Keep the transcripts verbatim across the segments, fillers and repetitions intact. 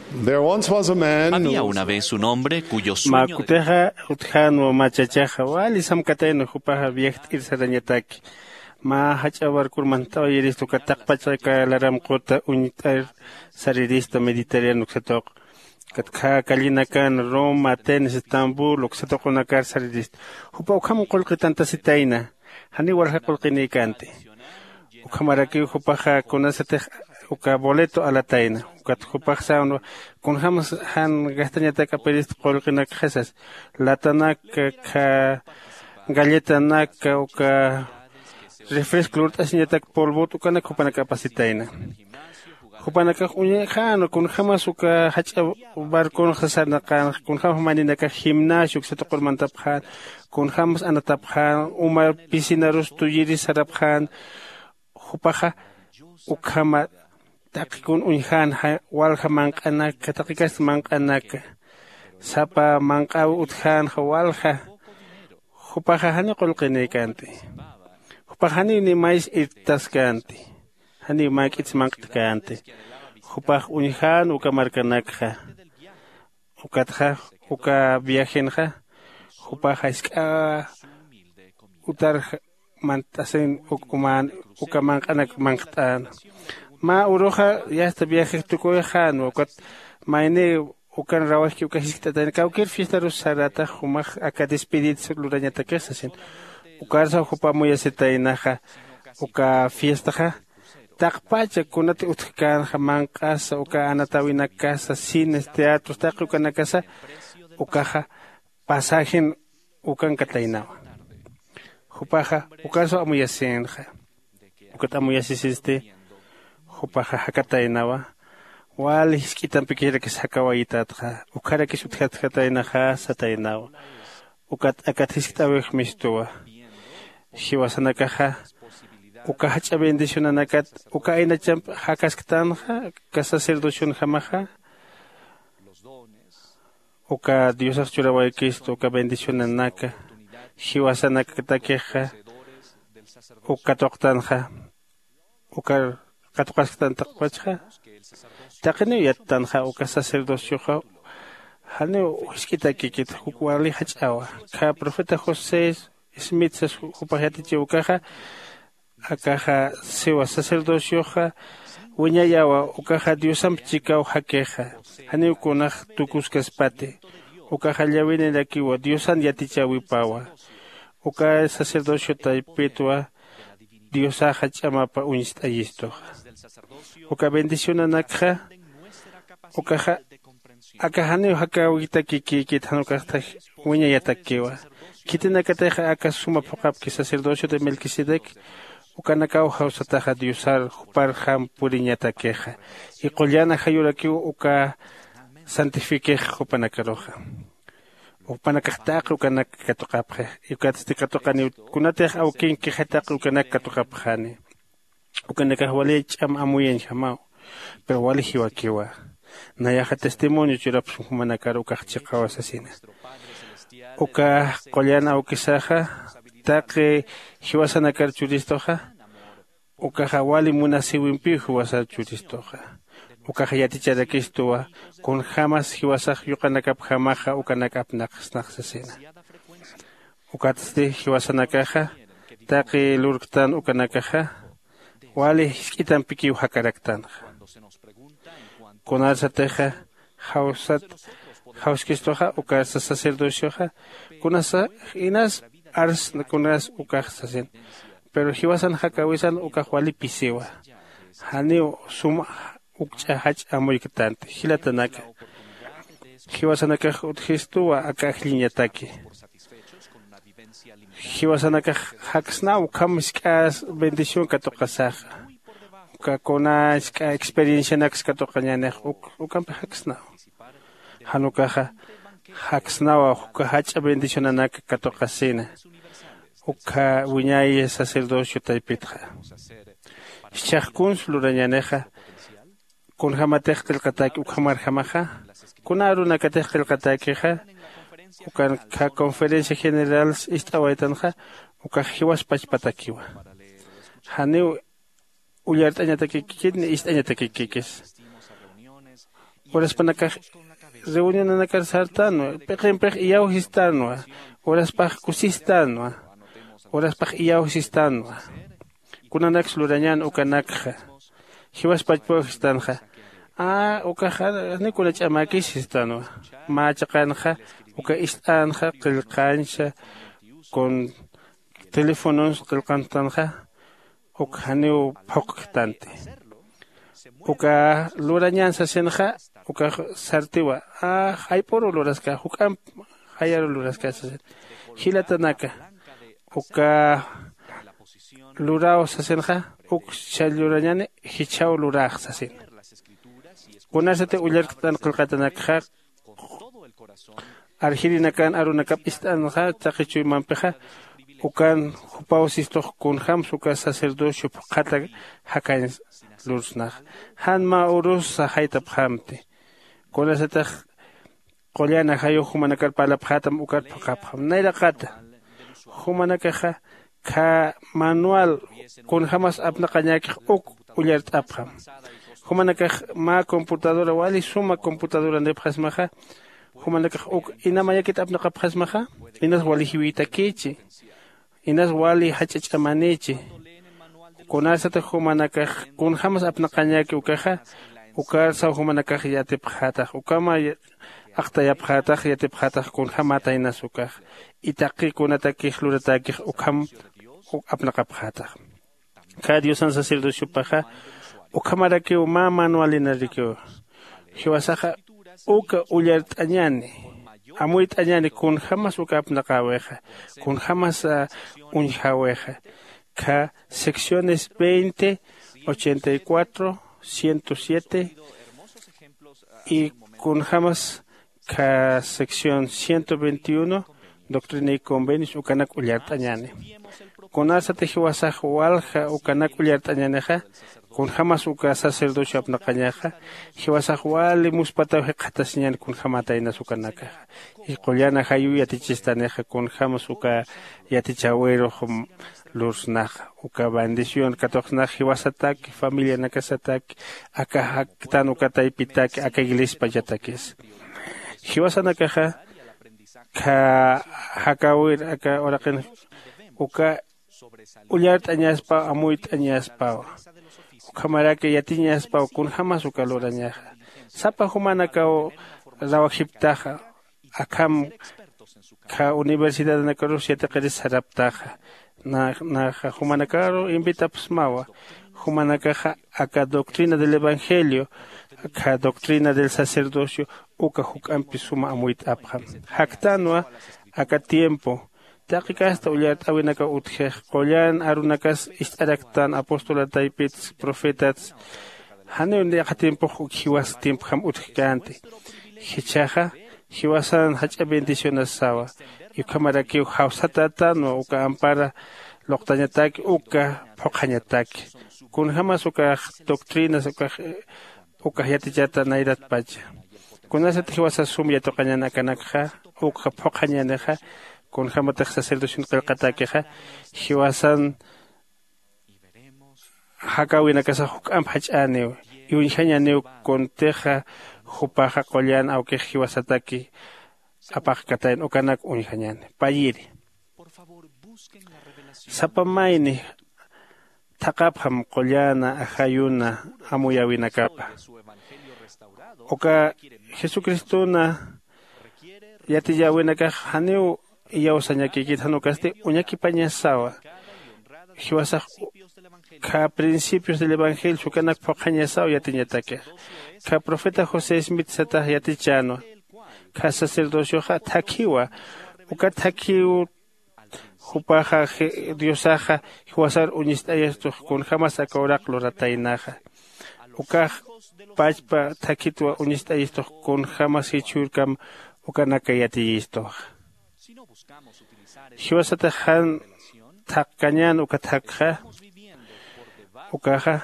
There once was a man who Había una vez un hombre cuyo sueño de Mä kutixa utjänwa mä chachaxa wali samkatayna jupaxa viajt'ir sarañataki. Mä jach'a barcor mantawayiristu uka taqpach aka laram quta uñt'ir sarirista Mediterráneo uksatuq. Ukat khä callinakan Roma, Atenas, Estambul uksatuqunakar sarirista. Jupa ukham qullqitantasitayna. Janiw walja qullqinïkänti. Ukhamarakiw jupaxa kunasatix uka boleto alatayna. Ukat jupax sänwa kunjämsa jan gastañatak apirist qullqinakxa sas. Latanak, khä galletanak, uka refresco lurt'asiñatak polvot ukanak jupanak apasitayna. Jupanakax uñjänwa kunjämas uka jach'a barconxa sarnaqänxa, kunjämas mayninakax gimnasio uksatuqur mantapxän, kunjämas anatapxän, uma piscinarus tuyiris sarapxän. Jupaxa ukhama taqi kun uñjänxa, walja manq'anaka, taqikasti manq'anaka, sapa manq'äwi utjänxa walja. Jupaxa janiw qullqinïkänti. Jupax janiw ni mays irtaskänti. Janiw mä k'its manq'tkänti. Jupax uñjän uka markanakxa. Ukatxa uka viajenxa jupaxa jisk'a utar mant'asin uk umän uka manq'anak manqt'än. Mä uruxa yasta viajex tukuyxänwa ukat mayni ukan rawajki uka jiskt'atayna kawkir fiestarus saratax jumax aka despedidsa lurañatakix sasin. Ukarsaw jupa amuyasitaynaxa uka fiestaxa taqpacha kunati utjkänxa manq'asa uka anatäwinakasa cines teatros taqi ukanakasa ukaxa pasajen ukankataynawa. Jupaxa ukarsaw amuyasïnxa. Ukat amuyasisisti jupaxa jakataynawa. Wali jisk'itampikirakis jakawayitatxa ukharakis utjatjataynaxa sataynawa. Ukat akat jiskt'äwix mistuwa. Jiwasanakaxa uka jach'a bendicionanakat uka aynachamp jakasktanxa uka sacerdocionjamaxa uka diosax churawaykistu uka bendicionanaka jiwasanakatakixa uk katuqtanxa. Ukar katuqasktan taqpachxa taqiniw yattanxa uka sacerdocioxa. Janiw jisk'itakikit juk wali jach'awa. Kha profeta josé smith sas jupax yatichiw ukaxa akaxa siwa sacerdocioxa wiñayawa. Ukaxa diosamp chikaw jakixa janiw kunax tukuskaspati. Ukaxa llawinirakiwa diosan yatichäwipawa. Uka sacerdocio taypitwa diosaxa ch'amapa uñst'ayistuxa. Uka bendicionanakxa ukaxa aka janiw jakäwitakikïkit jan ukaxta wiñayatakiwa. Khitinakatixa aka suma phuqhapki sacerdocio de melquisedec ukanakaw jawsataxa diosar juparjam puriñatakixa. Y qullan ajayurakiw uka santifikix jupanakaruxa. Jupanakax taqi ukanak katuqapxi. Ukatsti katuqaniw kunatix awkinkixi taqi ukanak katuqapxani. Ukanakax wali ch'am amuyañjamaw. Pero wali jiwakiwa. Nayaxa testimonio churapxsma jumanakar ukax chiqawa sasina. Ukax qullan awkisaxa taqi jiwasanakar churistuxa ukaxa wali munasïwimpiw jiwasar churistuxa. Ukaxa yaticharakistuwa kunjämas jiwasax yuqanakapjamaxa ukanak apnaqsnax sasina. Ukatsti jiwasanakaxa taqi lurktan ukanakaxa wali jisk'itampikiw jakaraktanxa. Kunarsatixa jawsat jawskistuxa ukarsa sacerdocioxa kunasa inas arsna kunas ukax sasin. Pero jiwasan jakäwisan ukax wali pisiwa. Janiw sum ukch'a jach'a amuyktänti jilatanaka. Jiwasanakax utjistuwa aka ajlliñataki. Jiwasanakax jaksnaw ukham jisk'a bendición katuqasaxa. Uka kuna jisk'a experiencianaks katuqañänix ukampi jaksnaw. Jan ukaxa jaksnawa uka jach'a bendicionanak katuqasina. Ukha wiñay sacerdocio taypitxa jichhax kuns lurañänixa. Kunjämatix qillqatäki ukhamarjamaxa kuna arunakatix qillqatäkixa ukan kha conferencia general ist'awaytanxa. Ukax jiwas pachpatakiwa. Janiw ullart'añatakikikit ni ist'añatakikikis. Uraspanakax reunionanakar sartanwa, p'iqimpix iyawsistanwa, uraspax kusistanwa, uraspax iyawsistanwa. Kunanaksa lurañän ukanakxa? Jiwaspachpaw jistanxa. A ukaxa ni kuna ch'amäkis jistanwa. Mä chiqanxa uka ist'änxa qillqancha, con telefonons qillqantanxa, uk janiw phuqktanti. Uka lurañän sasinxa ukax sartiwa. A jayp'uru luraska, juk'amp jayaru luraska sasin. Jilatanaka, uka luraw sasinxa, uk chhall lurañäni, jichhaw lurax sasin. Kunasati ullarktan qillqatanakxa arjirinakan arunakap ist'anxa taqi chuymampixa, ukan jupaw sistux kunjämsa uka sacerdocio phuqhata jakañ lursnax. Jan mä urusa jaytapxamti. Kunasatix qullan ajayux jumanakar parlapxätam ukar phuqhapxam nayraqata. Jumanakaxa khä manual kunjämas apnaqañäkix uk ullart'apxam. Jumanakax mä computadora wali suma computadoranipxasmaxa, jumanakax uk ina mayakit apnaqapxasmaxa, inas wali jiwïtakïchi, inas wali jach'a ch'amanïchi. Kunasatix jumanakax kunjämas apnaqañäki ukaxa, ukarsaw jumanakax yatipxätax ukhama aqtayapxätax yatipxätax kunjämätaynas ukax. Y taqi kunatakix luratäkix ukham apnaqapxätax. Khä diosan sacerdociopaxa ukhamarakiw mä manualinarakiw. Jiwasaxa uka ullart'añäni, amuyt'añäni kunjämas uka apnaqäwixa, kunjämas uñjäwixa. Khä secciones veinte, ochenta y cuatro, ciento siete, y kunjämas khä sección ciento veintiuno, doctrina y convenios ukanak ullart'añäni. Kunasati jiwasax walja ukanak ullart'añänixa, kunjämas uka sacerdocio apnaqañaxa, jiwasax wali muspataw jikxatasiñäni kunjämätaynas ukanakaxa. Y qullan ajayuw yatichistanixa kunjämas uka yatichäwirux lursnaxa, uka bendición katuqsnax jiwasataki, familianakasataki, aka jaktan uka taypitaki, aka iglesiapachatakis. Jiwasanakaxa khä jakäwir aka uraqin uka ullart'añaspaw, amuyt'añaspaw, ukhamaraki yatiñaspaw kunjämas uka lurañaxa. Sapa jumanakaw rawajiptaxa, akham khä universidadnakarus yatiqiris saraptaxa. Naxa jumanakaru invitapxsmawa, jumanakaxa aka doctrina del evangelio, khä doctrina del sacerdocio, uka juk'ampi suma amuyt'apxam. Jaktänwa aka tiempo, taqi kasta ullart'äwinakaw utjix, qullan arunakas ist'araktan, apóstol taypits, profetats, janiw yaqha tiempox uk jiwas tiempjam utjkänti. Jichhaxa jiwasan jach'a bendicionasawa. Ukhamarakiw jawsatätänwa uka ampara luqtañataki, uka phuqhañataki, kunjämas ukax doctrinas ukax ukax yatichata nayratpacha. Kunasat jiwasas sum yatuqañän akanakxa, ukxa phuqhañänixa, kunjämatix sacerdocion qillqatäkixa, jiwasan jakäwinakasax juk'amp jach'äniw, uñjañäniw kuntixa jupaxa qullan awkix jiwasataki apaqkatayn ukanak uñjañäni. Payiri, sapa mayni thaqhapxam qullan ajayuna amuyäwinakapa. Uka jesucristona yatiyäwinakax janiw iyawsañakïkit, jan ukasti uñakipañasawa. Jiwasax khä principios del evangelio ukanak phuqhañasaw yatiñatakix. Khä profeta josé smith satax yatichänwa, khä sacerdocioxa thakhiwa. Uka thakhiw jupaxa diosaxa jiwasar uñist'ayistux kunjämas aka uraq lurataynaxa. Ukax pachpa thakhitwa uñist'ayistux kunjämas jichhürkam ukanaka yatiyistuxa. Jiwasatax jan thaqkañän uka thakxa, ukaxa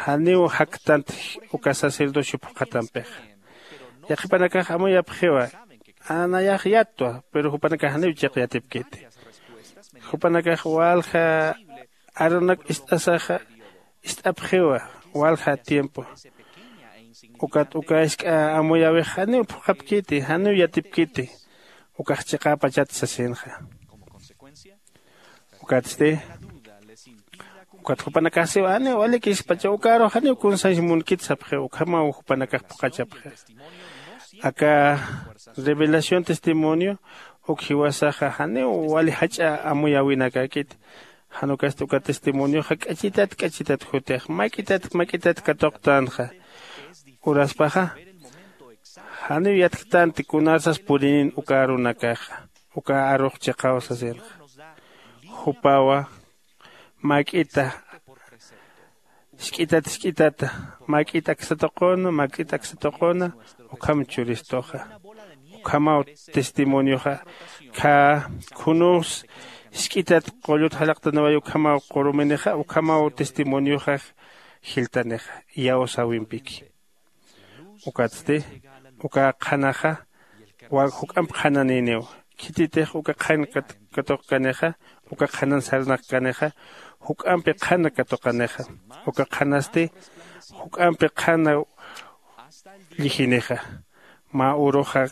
janiw jaktant uka sacerdocio phuqhatampixa. Yaqhipanakax amuyapxiwa, nayax yattwa, pero jupanakax janiw chiq yatipkiti. Jupanakax walja arunak ist'asaxa ist'apxiwa, walja tiempo. Ukat uka isk'a amuyäwix janiw phuqhapkiti, janiw yatipkiti. Ukax chiqäpachat sasinxa. Ukatsti ukat jupanakax siwa janiw walikispacha ukarux janiw kunsañs munkit sapxiw ukhamaw jupanakax phuqhachapxi. Aka revelación testimonio uk jiwasaxa janiw wali jach'a amuyäwinakäkiti. Jan ukasti uka testimonioxa k'achitat k'achitat jutix mak'itat mak'itat katuqtänxa. Uraspaxa janiw yatktänti kunarsas purinin uka arunakaxa uka arux chiqaw sasinxa. Jupawa mak'ita jisk'itat jisk'itata mak'it aksa tuquna mak'it aksa tuquna ukham churistuxa. Ukhamaw testimonioxa kha khunus jisk'itat qullut jalaqtaniway ukhamaw quruminixa ukhamaw testimonioxa jiltanixa iyawsäwimpiki. Ukatsti uka qhanaxa wak juk'amp qhananïniw khititix uka qhan katuqkanixa uka qhanan sarnaqkanixa juk'ampi qhana katuqanixa uka qhanasti juk'ampi qhana llijinixa mä uruxa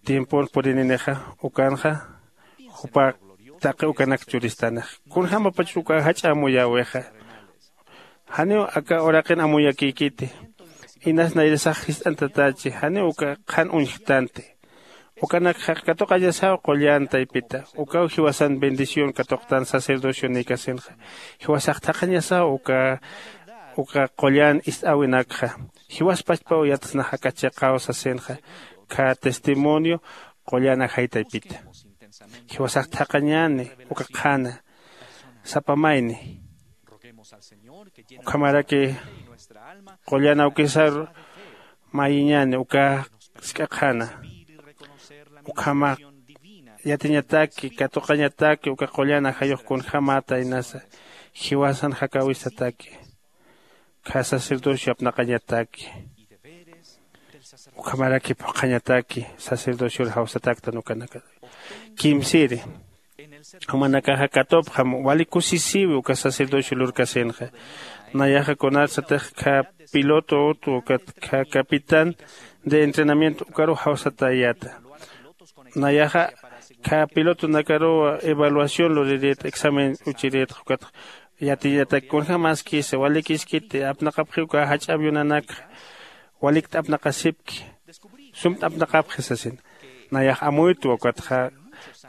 tiempon purininixa ukanxa jupa taqi ukanak churistanixa kunjämapachus uka jach'a amuyäwixa. Janiw aka uraqin amuyakïkiti inas nayrasax jist'antatachi janiw uka qhan uñjktanti. Ukanakxa katuqañasaw qullan taypita ukaw jiwasan bendición katuqtan sacerdocionïkasinxa. Jiwasax thaqhañasaw uka uka qullan ist'äwinakxa jiwas pachpaw yatsnax aka chiqaw sasinxa. Kha testimonio qullan ajay taypita jiwasax thaqhañäni uka qhana sapa mayni. Ukhamaraki qullan awkisar mayiñäni uka jisk'a qhana ukhama yatiñataki katuqañataki uka qullan ajayux kunjämata inasa jiwasan jakäwistataki kha sacerdocio apnaqañataki ukhamaraki phuqhañataki sacerdocior jawsataktan ukanaka. Kimsiri jumanakaxa katupxam wali kusisiwi uka sacerdocio lurkasinxa. Nayaxa kunarsatix kha piloto utu ukat kha capitán de entrenamiento ukarux jawsatayäta. Nayaxa kha pilotonakaruw evaluación lurirït examen uchirïtx ukat yatiñatak kunjämaskisa walikiskiti apnaqapxiw uka jach'a avionanakxa walikt apnaqasipki sumpt apnaqapxi sasin. Nayax amuytwa ukatxa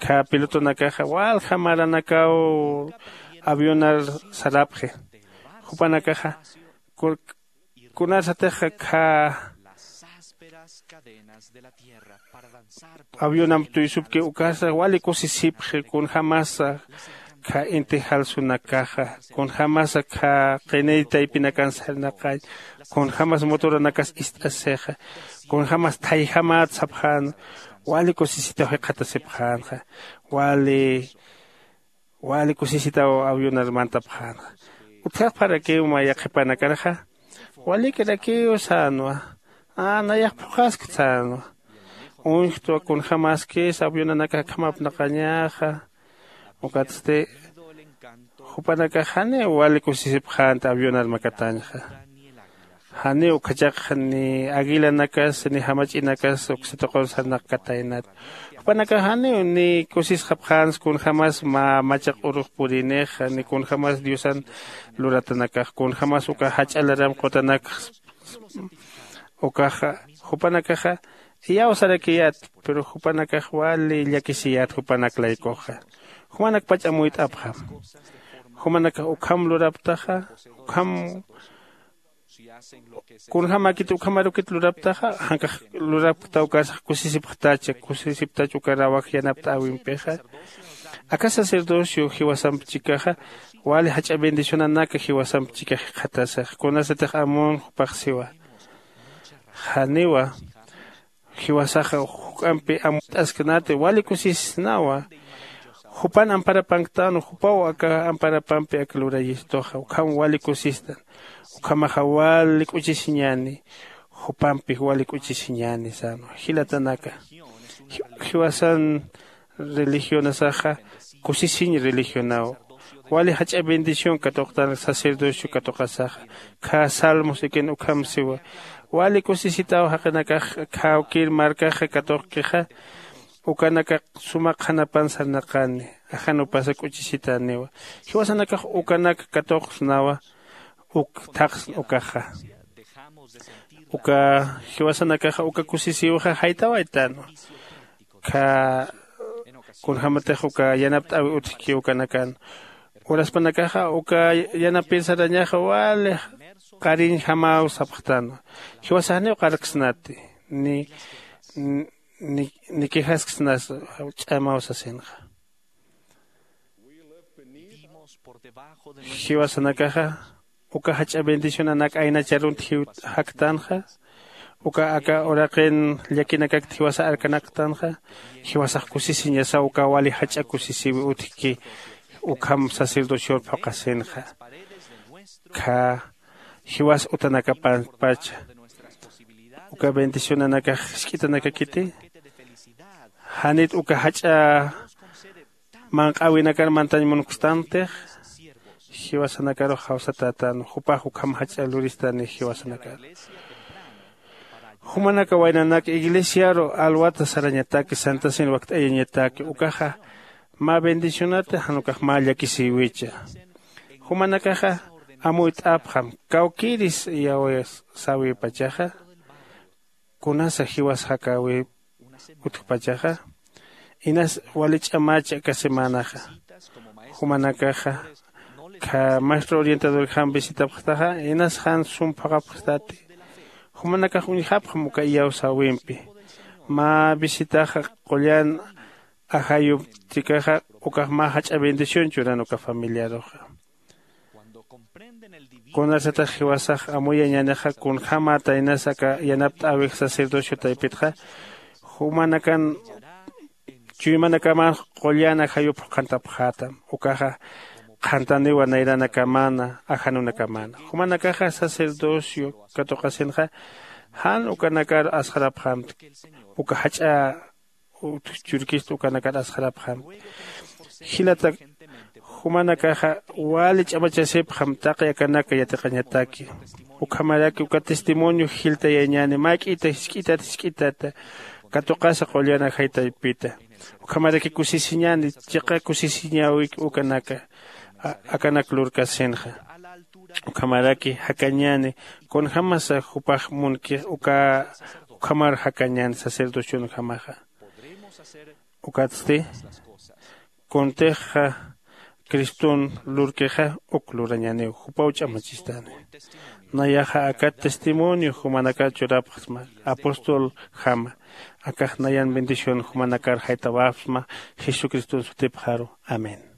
kha pilotonakaxa walja maranakaw avionar sarapxi. Jupanakaxa kunarsatixa kha avionamp tuysupki ukasa wali kusisipxi kunjämasa kha inti jalsunakaxa kunjämasa kha qiniy taypinakan sarnaqañ kunjämas motoranakas ist'asixa kunjämas thayjämät sapxän wali kusisitaw jikxatasipxänxa. Wali wali kusisitaw avionar mantapxänxa. Utjaxparakiw mä yaqhipanakanxa walikirakiw sänwa nayax phuqhaskta sänwa. Uñjtwa kunjämaskis avionanakax akham apnaqañäxa. Ukatsti jupanakax janiw wali kusisipxänti avionar makatañxa. Janiw ukhachakxa ni aguilanakas ni jamach'inakas uksa tuqun sarnaqkataynat. Jupanakax janiw ni kusisxapxänsa kunjämas mä machaq urux purinixa ni kunjämas diosan luratanakax kunjämas uka jach'a laram qutanakxa. Ukaxa jupanakaxa iyawsarakiyät pero jupanakax wali llakisiyät jupanak laykuxa. Jumanakpach amuyt'apxam. Jumanakax ukham luraptaxa ukham kunjämäkit ukhamarukit luraptaxa jankax lurapkta ukarsax kusisipxtacha kusisiptach uka rawaj yanapt'äwimpixa. Aka sacerdocio jiwasamp chikaxa wali jach'a bendicionanaka jiwasamp chikax jikxatasax kunasatix amun jupax siwa. Janiwa jiwasaxa juk'ampi amuyt'asknati wali kusisisnawa. Jupan amparapanktänwa jupaw aka amparapampi aka lurayistuxa ukham wali kusistan. Ukhamaxa wali k'uchisiñäni jupampi wali k'uchisiñäni sänwa jilatanaka. Jiwasan religionasaxa kusisiñ religionaw. Wali jach'a bendición katuqtan sacerdocio katuqasaxa. Khä salmos ikin ukham siwa, wali kusisitaw jaqinakax khäwkir markaxa katuqkixa. Ukanakax suma qhanapan sarnaqani. Ajanupasa k'uchisitaniwa. Jiwasanakax ukanak katuqsnawa. Uk thaqsn ukaxa. Uka jiwasanakaxa uka kusisiwxa jaytawaytanwa. Khä kunjämatix uka yanapt'äwi utjki ukanakan uraspanakaxa uka yanapir sarañaxa wali qariñjamaw sapxtanwa. Jiwasax janiw qarksnati ni ni quejasksnas ch'amaw sasinxa. Jiwasanakaxa uka jach'a bendicionanak aynacharunt jaktanxa. Uka aka uraqin llakinakakt jiwasa arkanaktanxa. Jiwasax kusisiñasaw uka wali jach'a kusisiwi utjki ukham sacerdocior phuqhasinxa. Khä jiwas utanakapampacha uka bendicionanakax jisk'itanakakiti. Janit uka jach'a manq'äwinakar mantañ munkustanktix. Jiwasanakarux jawsatätän jupax ukham jach'a luristani jiwasanakar. Jumanaka waynanak iglesiaru alwata sarañataki santasin wakt'ayañataki ukaxa mä bendicionati jan ukax mä llakisïwicha. Jumanakaxa amuyt'apxam kawkïris iyawsäwipachaxa. Kunasa jiwas jakäwi utjpachaxa inas wali ch'amacha aka semanaxa. Jumanakaxa kha maestro orientadorjam visitapxtaxa inas jan sum phuqhapxtati. Jumanakax uñjapxam uka iyawsäwimpi mä visitaxa qullan ajayuptikaxa ukax mä jach'a bendición churan uka familiaruxa. Kunasatax jiwasax amuyañänixa kunjämata inas aka yanapt'äwix sacerdocio taypitxa jumanakan chuymanakamanx qullan ajayup qhantapxätam. Ukaxa qhantaniwa nayranakamana ajanunakamana jumanakaxa sacerdocio katuqasinxa jan ukanakar asxarapxamtki. Uka jach'a utj churkista ukanakar asxarapxamtki. Jilata jumanakaxa wali ch'amachasipxam taqi akanaka yatiqañataki. Ukhamaraki uka testimonio jiltayañäni mä k'ita jisk'itat jisk'itata katuqasa qullan ajay taypita. Ukhamaraki kusisiñäni chiqa kusisiñäwik ukanaka akanak lurkasinxa. Ukhamaraki jakañäni kunjämasa jupax munkix uka ukhamar jakañäni sacerdocionjamaxa. Ukatsti kuntixa criston lurkixa uk lurañäniw jupaw ch'amachistani. Nayaxa akat testimonio jumanakar churapxsma apostoljama. Akax nayan bendición jumanakar jaytawapxsma jesucriston sutipxaru. Amén.